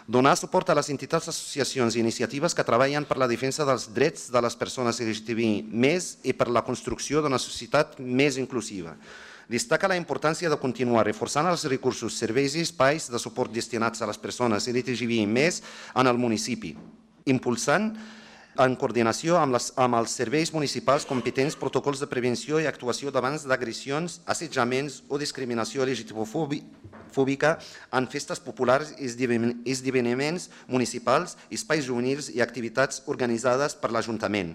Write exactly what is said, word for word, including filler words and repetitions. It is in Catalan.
Donar suport a les entitats, associacions i iniciatives que treballen per la defensa dels drets de les persones L G T B I més i per la construcció d'una societat més inclusiva. Destaca la importància de continuar reforçant els recursos, serveis i espais de suport destinats a les persones L G T B I més en el municipi, impulsant en coordinació amb, les, amb els serveis municipals competents protocols de prevenció i actuació davant d'agressions, assetjaments o discriminació L G T B fòbica en festes populars i esdeveniments municipals, espais juvenils i activitats organitzades per l'Ajuntament.